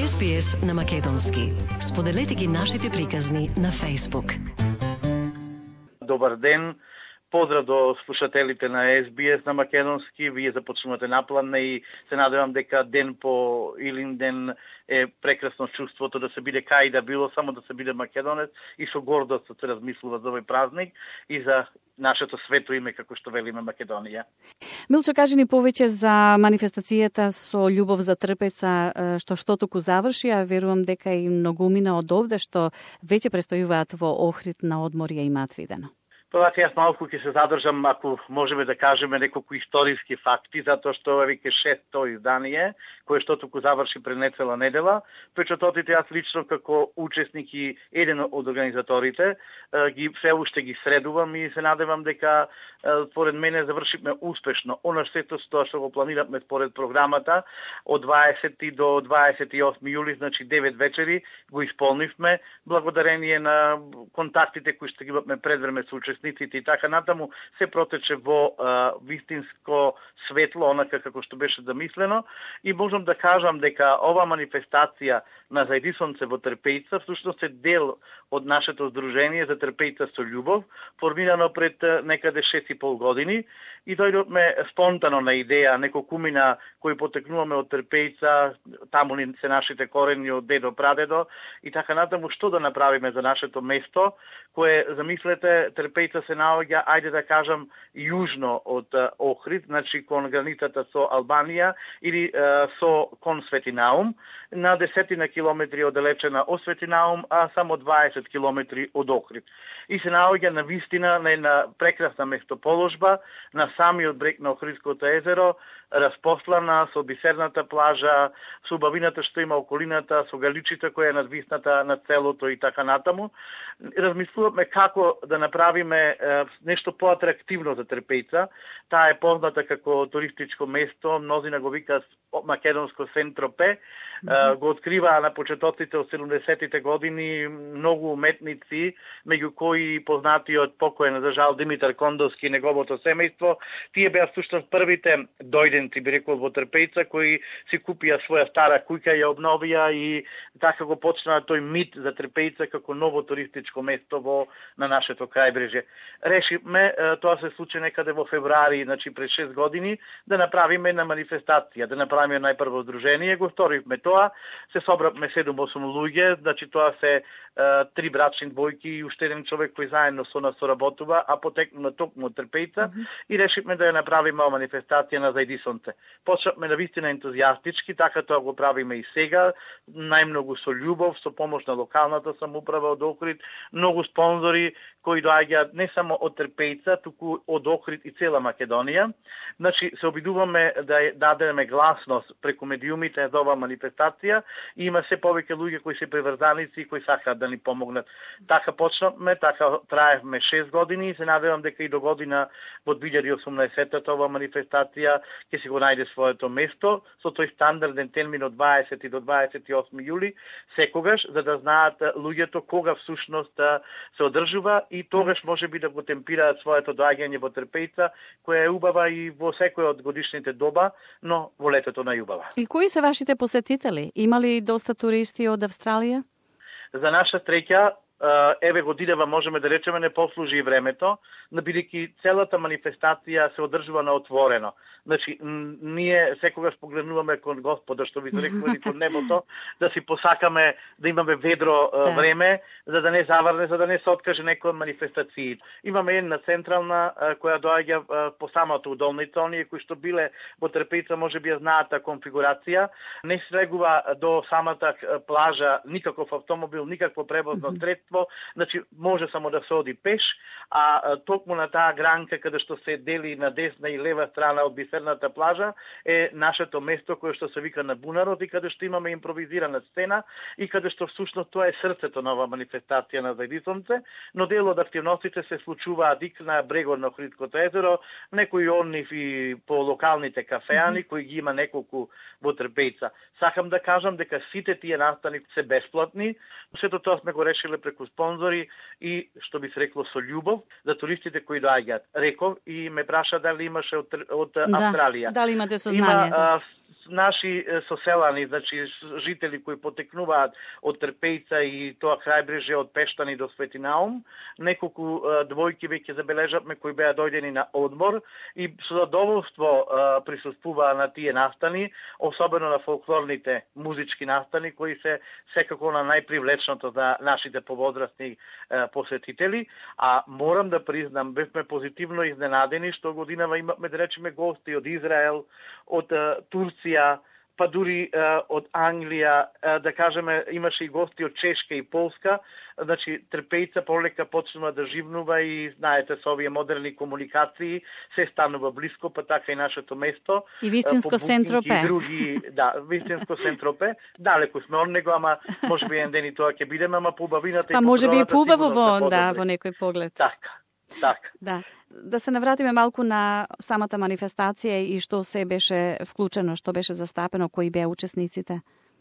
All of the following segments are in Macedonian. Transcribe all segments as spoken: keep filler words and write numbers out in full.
Ес Би Ес на македонски. Споделете ги нашите приказни на Facebook. Добар ден. Поздрав до слушателите на Ес Би Ес на македонски. Вие започнувате напланна и се надевам дека ден по илин ден е прекрасно чувството да се биде кај да било, само да се биде македонец и со гордост се размислува за овој празник и за нашето свето име, како што велиме Македонија. Милчо, кажи ни повеќе за манифестацијата со љубов за трпеца, што што туку заврши, а верувам дека и многумина од овде што веќе престојуваат во Охрид на одморје и Матвидено. Тоа јас малку ќе се задржам, ако можеме да кажеме неколку историски факти, затоа што ова веќе шесто издание, кое што туку заврши пред нецела недела. Печатотите јас лично како учесник и еден од организаторите ги се уште ги средувам и се надевам дека според мене завршивме успешно. Она сето тоа што го планиравме според програмата од дваесети до дваесет и осми јули, значи девет вечери, го исполнивме благодарение на контактите кои што ги имавме предвреме со учесниците и така натаму, се протече во а, вистинско светло, онака како што беше замислено, и можам да кажам дека ова манифестација на Заедисонце во Трпејца всушност е дел од нашето здружение за Трпејца со љубов, формирано пред некаде шест и пол години, и дојдовме спонтано на идеја, неколкумина кои потекнуваме од Трпејца, таму ни се нашите корени од дедо, прадедо, и така натаму, што да направиме за нашето место, кое, замислете, Трпејца се наоѓа, ајде да кажам, јужно од Охрид, значи кон границата со Албанија или е, со кон Светинаум, на десетина километри оддалечена од Светинаум, а само дваесет километри од Охрид. И се наоѓа на вистина на една прекрасна местоположба, на самиот брег на Охридското езеро, распослана со бисерната плажа, со убавината што има околината, со галичите која е надвисната на целото и така натаму. Размислуваме како да направиме е, нешто поатрактивно за Трпејца. Таа е позната како туристичко место, мнозина го викаат македонско Сен-Тропе. Mm-hmm. Го открива на почетоците од седумдесетите години многу уметници, меѓу кои познатиот покоен за жал Димитар Кондовски и неговото семејство. Тие беа всушност првите дојденци, би рекол, во Трпејца, кои си купија своја стара куќа, ја обновија и така го почна тој мит за Трпејца како ново туристичко место во на нашето крајбрежје. Решивме, тоа се случи некаде во февруари, значи пред шест години, да направиме на манифестација, да направиме најпрво здружение, го сторивме тоа, се собравме седум-осум луѓе, значи тоа се е, три брачни двојки и уште еден човек кој заедно со нас соработува, а потекнува токму од Трпејца, mm-hmm. и решивме да ја направиме ова манифестација на Заедисонце. Почнавме на вистина ентузијастички, така тоа го правиме и сега, најмногу со љубов, со помош на локалната самоуправа од Охрид, многу спонзори кои доаѓаат не само од Трпејца, туку од Охрид и цела Македонија. Значи, се обидуваме да дадеме гласност преку медиумите за оваа манифестација и има се повеќе луѓе кои се приврзаници и кои сакаат да ни помогнат. Така почнавме, така траевме шест години и се надевам дека и до година во две илјади и осумнаесетта ова манифестација ќе си го најде своето место со тој стандарден термин од дваесети до дваесет и осми јули секогаш, за да знаат луѓето кога всушност се одржува и тогаш може би да го темпираат своето доаѓање во Трпејца, која е убава и во секој од годишните доба, но во летото најубава. И кои се вашите посетители? Има ли доста туристи од Австралија? За наша среќа, еве годинава можеме да речеме не послужи и времето, но бидејќи целата манифестација се одржува на отворено. Значи, ние секогаш погледнуваме кон Господа, што ви рекували кон небото, да си посакаме да имаме ведро да. време, за да не заврне, за да не се откаже некој од манифестациите. Имаме една централна која доаѓа по самата удолница, оние кои што биле во Трпејца може би ја знаат конфигурација, не слегува до самата плажа никаков автомобил, никакво превозно средство, значи може само да се оди пеш, а токму на таа гранка каде што се дели на десна и лева страна од бисерната плажа е нашето место кое што се вика на Бунарот и каде што имаме импровизирана сцена и каде што всушност тоа е срцето на оваа манифестација на Заедисонце, но дел од активностите се случуваат и на брегот на Охридското езеро, некои онив и по локалните кафеани кои ги има неколку во Трпејца. Сакам да кажам дека сите тие настани се бесплатни, сето тоа сме го решиле преку спонзори и што би се рекло со љубов за туристите кои доаѓаат. Реков и ме праша дали имаше од, од да, Австралија. Дали имате сознание? Има, а, наши соселани, значи жители кои потекнуваат од Трпејца и тоа крајбрежје од Пештани до Свети Наум, неколку двојки веќе забележавме кои беа дојдени на одмор и со задоволство присуствуваа на тие настани, особено на фолклорните музички настани кои се секако на најпривлечното за нашите повозрастни посетители, а морам да признам, бевме позитивно изненадени што годинава имавме, да речеме, гости од Израел, од Турција, па дури од Англија, да кажеме, имаше и гости од Чешка и Полска. Значи, Трпејца полека почнува да живнува и, знаете, со овие модерни комуникации се станува блиско, па така и нашето место. И вистинско Сен-Тропе. И други, да, вистинско Сен-Тропе. Далеку сме од него, ама може би еден ден и тоа ќе бидеме, ама по убавината и па по може би и поубаво во, да, во некој поглед. Така. Така. Да. Да се навратиме малку на самата манифестација и што се беше вклучено, што беше застапено, кои беа учесниците.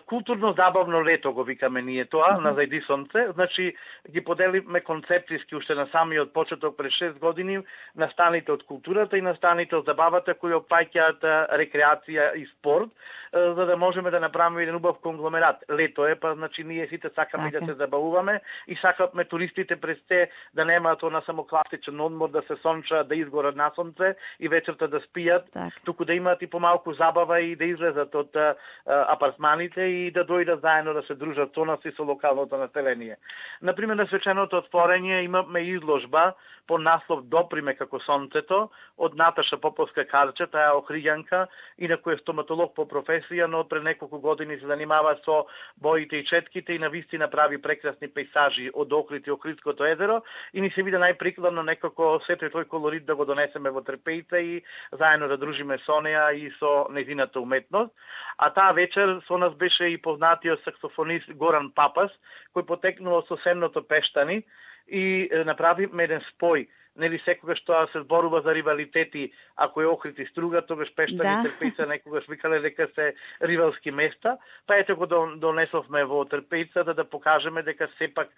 Културно-забавно лето го викаме ние тоа, mm-hmm. на Зајди сонце. Значи, ги поделивме концептиски уште на самиот почеток пред шест години настаните од културата и настаните од забавата кои опаќаат рекреација и спорт, за да можеме да направиме еден убав конгломерат. Лето е, па значи ние сите сакаме така да се забавуваме и сакаме туристите през те да немаат она само класичен одмор, да се сончаат, да изгорат на сонце и вечерта да спијат, так. туку да имаат и помалку забава и да излезат од а, апартманите и да дојдат заедно да се дружат со нас и со локалното население. Например, на свеченото отворење имаме изложба по наслов Доприме како сонцето од Наташа Поповска Карче, таа е охриѓанка и на кој е стоматолог по професија, но пред неколку години се занимава со боите и четките и навистина прави прекрасни пейзажи од Охрид и Охридското езеро и ни се виде најприкладно некако сето тој колорит да го донесеме во Трпејца и заедно да дружиме со неа и со нејзината уметност. А таа вечер со нас беше и познатиот саксофонист Горан Папас, кој потекнува со Сенното Пештани и направивме еден спој. Нели секогаш тоа се зборува за ривалитети, ако е Охрид и Струга, тогаш Пештани и да. Трпејца некогаш викале дека се ривалски места, па ете го донесовме во Трпејца да да покажеме дека сепак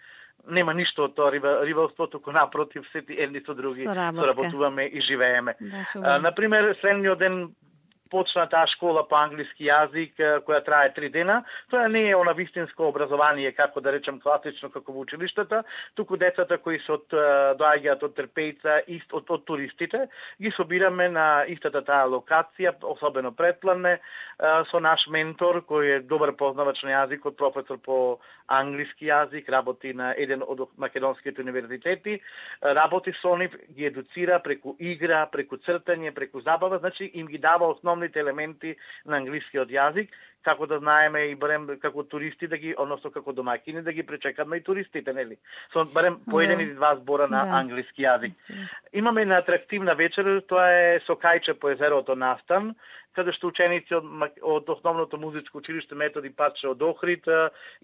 нема ништо од тоа ривалство, туку напротив, сети едни со други соработуваме и живееме. Да, а, например, следниот ден почна таа школа по англиски јазик која трае три дена. Тоа не е она вистинско образование, како да речем класично како во училиштата, туку децата кои се од доаѓаат од Трпејца и од, од туристите, ги собираме на истата таа локација, особено Претплане, со наш ментор кој е добар познавач на јазикот, професор по англиски јазик, работи на еден од македонските универзитети, работи со нив, ги едуцира преку игра, преку цртање, преку забава, значи им ги дава основни елементи на англискиот јазик, како да знаеме и барем како туристи да ги, односно како домаќини да ги пречекаме и туристите, нели? Со барем по еден или два збора на да. англиски јазик. Имаме една атрактивна вечер, тоа е со кајче по езерото настан, каде што ученици од, од основното музичко училиште Методи Паче од Охрид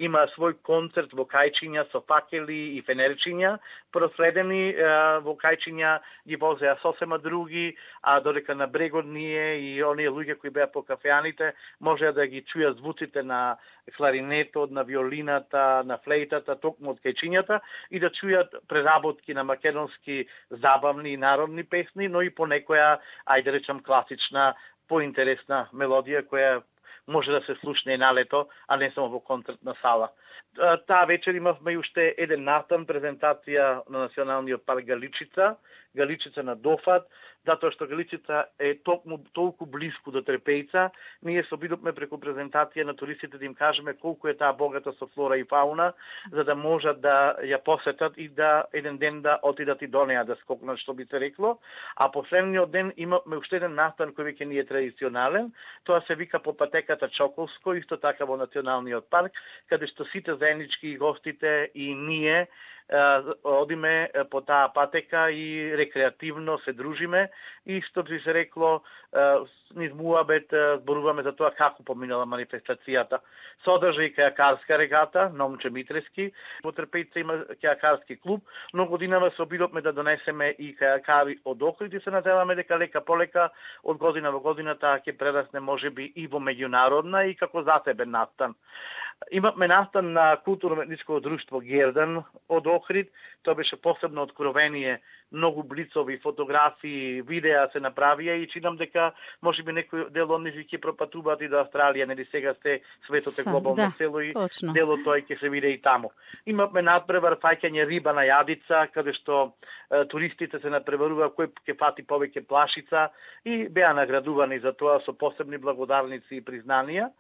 има свој концерт во кајчиња со факели и фенерчиња, проследени во кајчиња ги возеа сосема други, а додека на брегот ние и оние луѓе кои беа по кафеаните можеа да ги чујат звуците на кларинетот, на виолината, на флейтата, токму од кајчињата и да чујат преработки на македонски забавни и народни песни, но и по некоја, ајде речам, класична поинтересна мелодија која може да се слушне и на лето, а не само во концертна сала. Таа вечер имавме и уште еден настан, презентација на Националниот парк Галичица, Галичица на Дофат, затоа што Галичица е толку, толку близко до Трпејца. Ние се обидовме преку презентација на туристите да им кажеме колку е таа богата со флора и фауна, за да можат да ја посетат и да еден ден да отидат и до неа да скокнат, што би се рекло. А последниот ден имаме уште еден настан кој веќе ни е традиционален. Тоа се вика по патеката Чоколско, исто така во Националниот парк, каде што сите заеднички гостите и ние одиме по таа патека и рекреативно се дружиме и што би се рекло низ муабет зборуваме за тоа како поминала манифестацијата. Содржа и кајакарска регата на Момче Митрески, во Трпејца има кајакарски клуб, но годинава се обидовме да донесеме и кајакари од Охрид и се надеваме дека лека полека од година во година таа ќе прерасне можеби и во меѓународна и како засебен настан. Имавме настан на културно-уметничко друштво Гердан од Охрид. Тоа беше посебно откровение, многу блицови, фотографии, видеа се направија и чинам дека можеби некој дел од нив ќе пропатуваат и до Австралија, нели сега сте светот е глобално да, село и точно. дело тој ќе се види и таму. Имавме надпревар фаќање риба на јадица, каде што е, туристите се надпреварува кој ќе фати повеќе плашица и беа наградувани за тоа со посебни благодарници и признанија.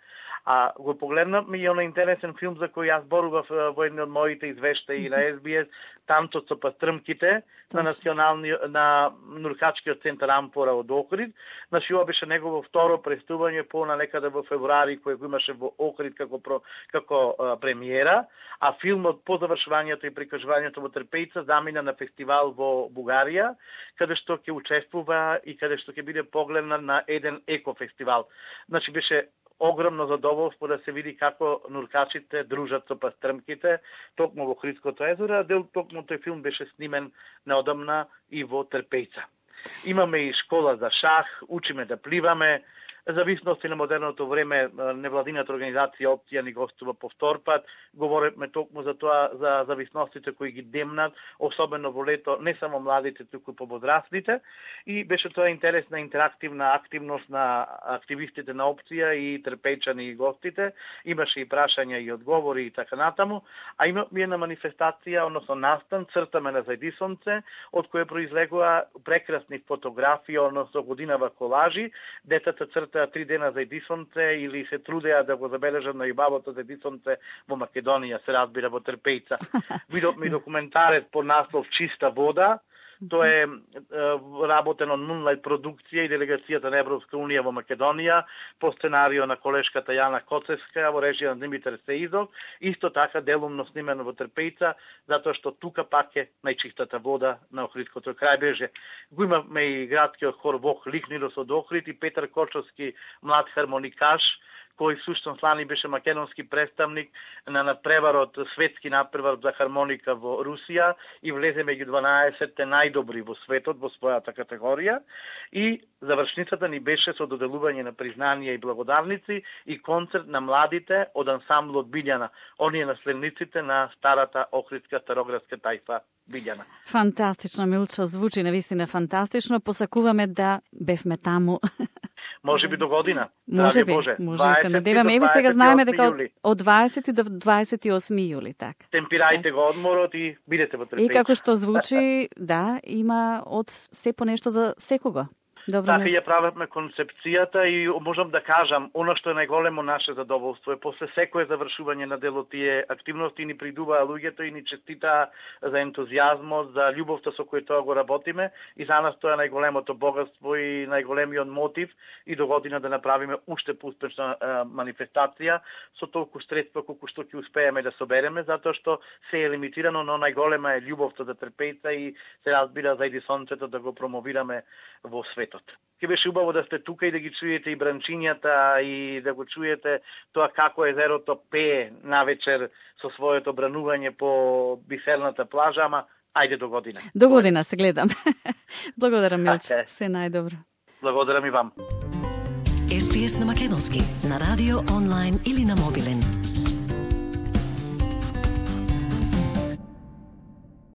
А го погледнавме и оној интересен филм за кој јас зборував во едни од моите извештаи на Ес Би Ес, Танцот со пастрмките, на национални на Нуркачкиот центар Амфора од Охрид. Значи ова беше негово второ преступање по на некаде во февруари кој го имаше во Охрид како про, како а, премиера, а филмот по завршувањето и прикажувањето во Трпејца замина на фестивал во Бугарија, каде што ќе учествува и каде што ќе биде погледнат на еден екофестивал. Значи беше огромно задоволство да се види како нуркачите дружат со пастрмките токму во Охридското езеро, а дел токму тој филм беше снимен неодамна и во Трпејца. Имаме и школа за шах, учиме да пливаме, зависности на модерното време невладината организација Опција ни гостува по втор пат. Говориме токму за тоа, за зависностите кои ги демнат, особено во лето, не само младите, туку повозрастните. И беше тоа интересна интерактивна активност на активистите на Опција и трпејчани и гостите. Имаше и прашања и одговори и така натаму. А имаме една манифестација, односно настан, цртаме на Зајдисонце, од која произлегува прекрасни фотографии, односно годинава колажи. Децата црта три дена за Зајдисонце или се трудеа да го забележат на јубавото Зајдисонце во Македонија, се разбира во Трпејца. Видовме и документарец под наслов Чиста вода. Тоа е, е работено Moonlight продукција и делегацијата на Европска унија во Македонија по сценарио на колешката Јана Коцевска во режија на Димитар Сеизов. Исто така делумно снимено во Трпејца, затоа што тука пак е најчистата вода на Охридското крајбрежје. Го имавме и градскиот хор Вох Ликнидос од Охрид и Петар Кочовски, млад хармоникаш, кој сушност лани беше македонски представник на надпреварот, светски надпревар за хармоника во Русија и влезе меѓу дванаесетте најдобри во светот во својата категорија. И завршницата ни беше со доделување на признанија и благодарници и концерт на младите од ансамблот Билјана, оние наследниците на старата охридска староградска тајфа Билјана. Фантастично, Милчо, звучи навистина фантастично. Посакуваме да бевме таму. Може би до година. Може би, Боже. може да се надеваме. Еве сега знаеме дека од дваесети до дваесет и осми јули, така. Темпирајте го одморот и бидете во Трпејца. И како што звучи, да, има од се по нешто за секого. Добро, така ја правевме концепцијата и можам да кажам, оно што е најголемо наше задоволство е после секое завршување на дело тие активности ни придуваа луѓето и ни честитаа за ентузијазмот, за љубовта со која тоа го работиме и за нас тоа е најголемото богатство и најголемиот мотив и до година да направиме уште поуспешна е, манифестација со толку средства колку што ќе успееме да собереме, затоа што се е лимитирано, но најголема е љубовта за Трпејца и се разбира Зајдисонцето да го промовираме во светот. Ке беше убаво да сте тука и да ги чуете и бранчињата и да го чуете тоа како езерото пее навечер со своето бранување по бисерната плажа, ама ајде до година. До година се гледам. Благодарам, Милчо. Се најдобро. Благодарам и вам. Ес Би Ес на македонски, на радио, онлайн или на мобилен.